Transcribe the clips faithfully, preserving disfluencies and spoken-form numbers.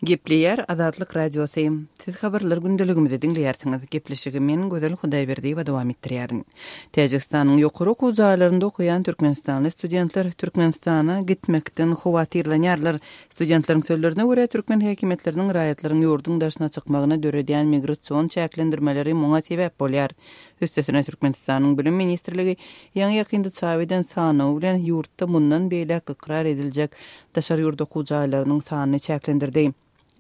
Gepleýär Azatlyk Radiosy. Siz habarlar gündeligimizi diňleýärsiňiz. Gepleşigi men Gözel Hudaýberdiýewa dowam etdirýärin. Täjigistanyň ýokary okuw jaýlarynda okaýan türkmenistanly studentler Türkmenistana gitmekden howatyrlanýarlar. Studentleriň sözlerine görä, türkmen häkimiýetleriniň raýatlaryň ýurduň daşyna çykmagyna döredýän migrasion çäklendirmeleri muňa sebäp bolýar. Üstesine Türkmenistanyň Bilim ministrligi ýaňy ýakynda çap eden sanawy bilen ýurtda mundan beýläk ykrar ediljek daşary ýurt okuw jaýlarynyň sanyny çäklendirdi.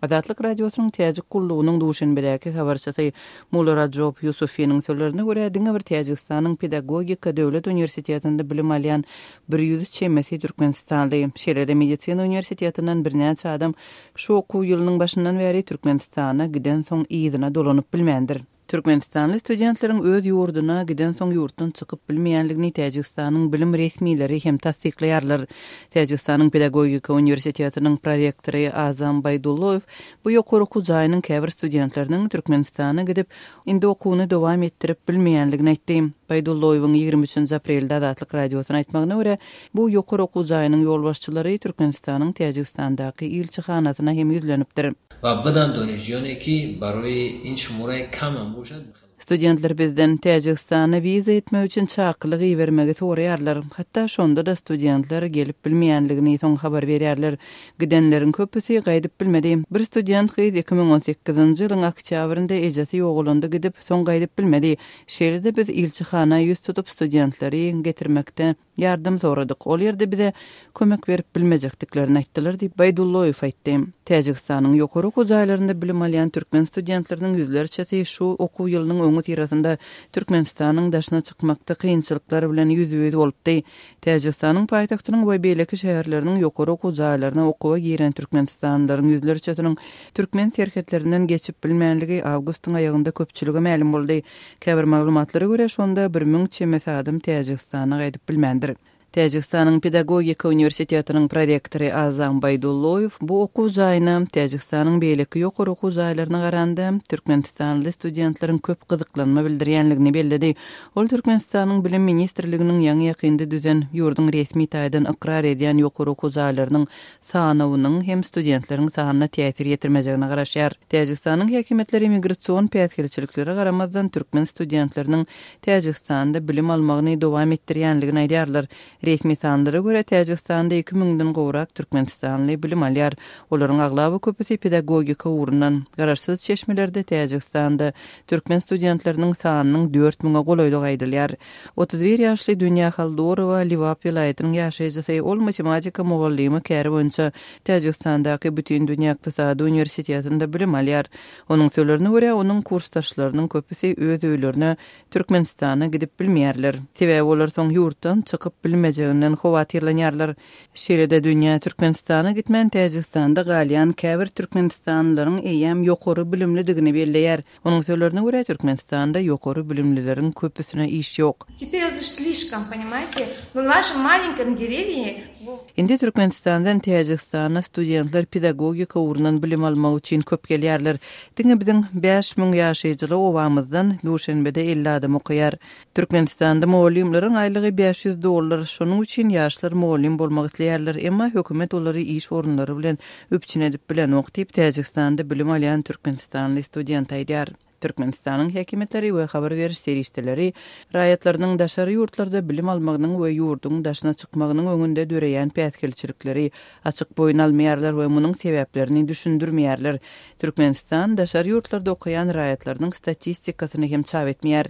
Azatlyk Radiosynyň Täjik gullugynyň Duşenbedäki habarçysy Mularajob Ýusufiniň sözlerine görä, diňe bir Täjigistanyň Pedagogika döwlet uniwersitetinde bilim alýan bir ýüz çemesi türkmenistanly, şeýle-de medisina uniwersitetinden birnäçe adam şu okuw ýylynyň başyndan bäri Türkmenistana gidensoň yzyna dolanyp bilmändir. Türkmenistanly studentleriň öz ýurduna gidensoň ýurtdan çykyp bilmeýänligini Täjigistanyň bilim resmileri hem tassyklaýarlar. Täjigistanyň Pedagogika uniwersitetiniň prorektory Azam Baýdulloýew bu ýokary okuw jaýynyň käbir studentleriniň Türkmenistana gidip, indi okuwyny dowam etdirip bilmeýänligini aýtdy. Baýdulloýewiň ýigrimi üçünji aprelde Azatlyk Radiosyna aýtmagyna görä, bu ýokary okuw jaýynyň ýolbaşçylary Türkmenistanyň Täjigistandaky ilçihanasyna hem ýüzlenipdir. Wa bidan donişjiyone ki baroý in şumuraý kam hem boşad. Studentler bizden Täjigistana wiza etmek üçin çakylyk ibermegi soraýarlar. Hatda şonda-da studentler gelip bilmeýänligini soň habar berýärler. Gidenleriň köpüsi gaýdyp bilmedi. Bir student gyz iki müň on sekizinji ýylyň oktýabrynda ejesi ýogalanda gidip, soň gaýdyp bilmedi. Şeýle-de biz ilçihana ýüz tutup studentleri getirmekde ýardam soradyk. Ol ýerde bize kömek berip bilmejekdiklerini aýtdylar diýip Baýdulloýew aýtdy. Täjigistanyň ýokary okuw jaýlarynda bilim alýan türkmen studentleriniň ýüzlerçesi şu okuw ýylynyň öňi syrasynda Türkmenistanyň daşyna çykmakda kynçylyklar bilen ýüzbe-ýüz bolupdy. Täjigistanyň paýtagtynyň we beýleki şäherleriniň ýokary okuw jaýlaryna okuwa giren türkmenistanlylaryň ýüzlerçesiniň türkmen serhetlerinden geçip bilmänligi awgustyň aýagynda köpçülige mälim boldy. Käbir maglumatlara görä, şonda bir müň çemesi adam Täjigistana gaýdyp bilmändir. Täjigistanyň Pedagogika uniwersitetiniň prorektory Azam Baýdulloýew bu okuw jaýyna Täjigistanyň beýleki ýokary okuw jaýlaryna garanda türkmenistanly studentleriň köp gyzyklanma bildirýänligini belledi. Ol Türkmenistanyň Bilim ministrliginiň ýaňy ýakynda düzen ýurduň resmi taýdan ykrar edýän ýokary okuw jaýlarynyň sanawynyň hem studentleriň sanyna täsir ýetirmejegine garaşýar. Täjigistanyň häkimiýetleri migrasion päsgelçiliklere garamazdan türkmen studentleriniň Täjigistanda bilim almagyny dowam etdirýänligini aýdýarlar. Resmi sanlara görä Täjigistanda iki müňden gowrak türkmenistanly bilim alýar. Olaryň aglaba köpüsi pedagogika ugrundan. Garaşsyz çeşmelerde Täjigistanda türkmen studentleriniň sanynyň dört müňe golaýlygy aýdylýar. Otuz bir ýaşly Dünýä Haldorowa Liwap welaýatynyň ýaşaýjysy, ol matematika mugallymy käri boýunça Täjigistandaky Bütindünýä Ykdysady uniwersitetinde bilim alýar. Onuň sözlerine görä, onuň kursdaşlarynyň köpüsi öz öýlerine Türkmenistana gidip bilmeýärler. Sebäbi olar soň ýurtdan çykyp bilmejeginden howatyrlanýarlar. Şeýle-de dünýä Türkmenistana gitmän Täjigistanda galýan käbir türkmenistanlylaryň eýýäm ýokary bilimlidigini belleýär. Onuň sözlerine görä, Türkmenistanda ýokary bilimlileriň köpüsine iş ýok. Теперь уже слишком, понимаете? Но в нашем маленьком деревне Indi Türkmenistandan Täjigistana studentler pedagogika ugrundan bilim almak üçin köp gelýärler. Diňe biziň bäş müň ýaşaýjyly obamyzdan Duşenbede elli adam okaýar. Türkmenistanda mugallymlaryň aýlygy bäş ýüz dollar, şonuň üçin ýaşlar mugallym bolmak isleýärler, emma hökümet olary iş orunlary bilen üpjün edip bilenok diýip Täjigistanda bilim alýan türkmenistanly student aýdýar. Türkmenistanyň häkimiýetleri we habar beriş serişdeleri raýatlarynyň daşary ýurtlarda bilim almagynyň we ýurduň daşyna çykmagynyň öňünde döreýän päsgelçilikleri açyk boýun almaýarlar we munuň sebäplerini düşündirmeýärler. Türkmenistan daşary ýurtlarda okaýan raýatlarynyň statistikasyny hem çap etmeýär.